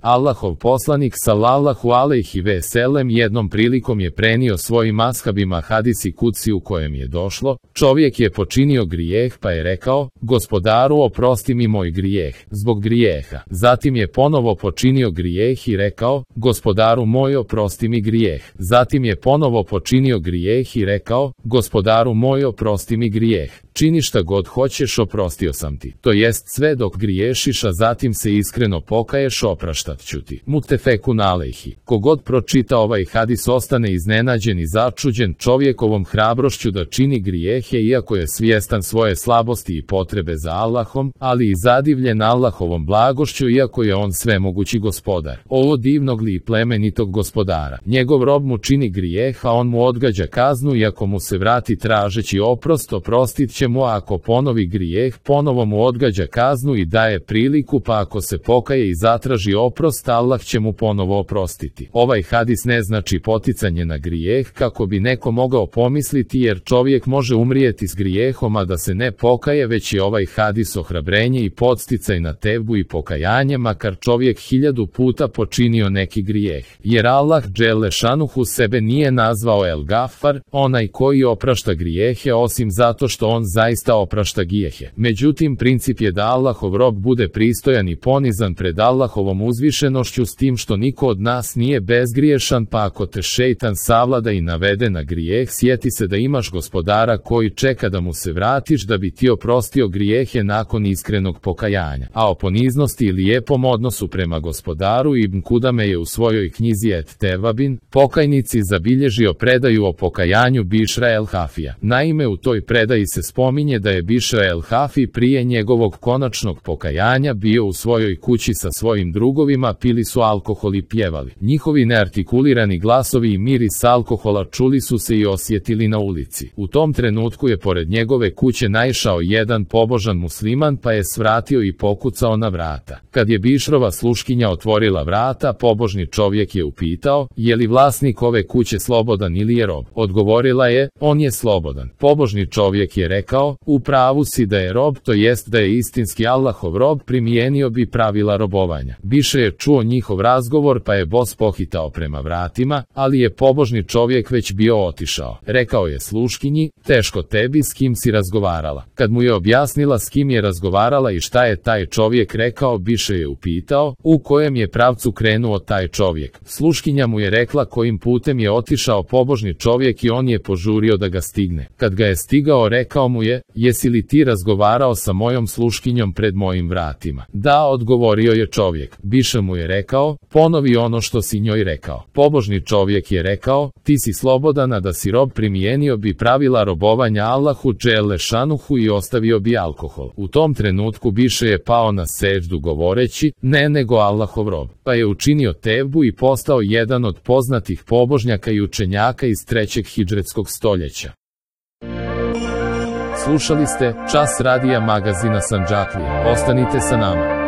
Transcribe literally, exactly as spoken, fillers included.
Allahov poslanik sallallahu alejhi ve selem jednom prilikom je prenio svojim ashabima hadisi kudsi u kojem je došlo, čovjek je počinio grijeh pa je rekao, Gospodaru oprosti mi moj grijeh, zbog grijeha. Zatim je ponovo počinio grijeh i rekao, Gospodaru moj oprosti mi grijeh. Zatim je ponovo počinio grijeh i rekao, Gospodaru moj oprosti mi grijeh. Čini šta god hoćeš, oprostio sam ti. To jest sve dok griješiš, a zatim se iskreno pokaješ, opraštat ću ti. Mutefekun alejhi. Kogod pročita ovaj hadis ostane iznenađen i začuđen čovjekovom hrabrošću da čini grijehe iako je svjestan svoje slabosti i potrebe za Allahom, ali i zadivljen Allahovom blagošću iako je on svemogući gospodar. Ovo divnog li i plemenitog gospodara. Njegov rob mu čini grijeh, a on mu odgađa kaznu i ako mu se vrati tražeći oprost, oprostit će mu, a ako ponovi grijeh, ponovo mu odgađa kaznu i daje priliku, pa ako se pokaje i zatraži oprost, Allah će mu ponovo oprostiti. Ovaj hadis ne znači poticanje na grijeh kako bi neko mogao pomisliti, jer čovjek može umrijeti s grijehom a da se ne pokaje, već je ovaj hadis ohrabrenje i podsticaj na tevbu i pokajanje makar čovjek hiljadu puta počinio neki grijeh. Jer Allah dželle šanuhu sebe nije nazvao El Gafar, onaj koji oprašta grijehe, osim zato što on zaista oprašta grijehe. Međutim, princip je da Allahov rob bude pristojan i ponizan pred Allahovom uzvišenošću, s tim što niko od nas nije bezgriješan, pa ako te šejtan savlada i navede na grijeh, sjeti se da imaš gospodara koji čeka da mu se vratiš da bi ti oprostio grijehe nakon iskrenog pokajanja. A o poniznosti i lijepom odnosu prema gospodaru Ibn Kudame je u svojoj knjizi Et Tevabin, pokajnici, zabilježio predaju o pokajanju Bišra el Hafija. Naime, u toj predaji se spominje da je Bišra el Hafi prije njegovog konačnog pokajanja bio u svojoj kući sa svojim drugovima, pili su alkohol i pjevali. Njihovi neartikulirani glasovi i miris alkohola čuli su se i osjetili na ulici. U tom trenutku je pored njegove kuće naišao jedan pobožan musliman pa je svratio i pokucao na vrata. Kad je Bišrova sluškinja otvorila vrata, pobožni čovjek je upitao, je li vlasnik ove kuće slobodan ili je rob? Odgovorila je, on je slobodan. Pobožni čovjek je rekao, u pravu si da je rob, to jest da je istinski Allahov rob, primijenio bi pravila robovanja. Bišra je čuo njihov razgovor pa je bos pohitao prema vratima, ali je pobožni čovjek već bio otišao. Rekao je sluškinji, teško tebi, s kim si razgovarala. Kad mu je objasnila s kim je razgovarala i šta je taj čovjek rekao, Bišra je upitao, u kojem je pravcu krenuo taj čovjek. Sluškinja mu je rekla kojim putem je otišao pobožni čovjek i on je požurio da ga stigne. Kad ga je stigao, rekao mu je, jesi li ti razgovarao sa mojom sluškinjom pred mojim vratima? Da, odgovorio je čovjek. Bišra mu je rekao, ponovi ono što si njoj rekao. Pobožni čovjek je rekao, ti si slobodan, a da si rob primijenio bi pravila robovanja Allahu dželle šanuhu i ostavio bi alkohol. U tom trenutku Bišra je pao na seđdu govoreći, ne nego Allahov rob, pa je učinio tevbu i postao jedan od poznatih pobožnjaka i učenjaka iz trećeg hidžretskog stoljeća. Slušali ste Čas radija magazina Sandžaklija. Ostanite sa nama.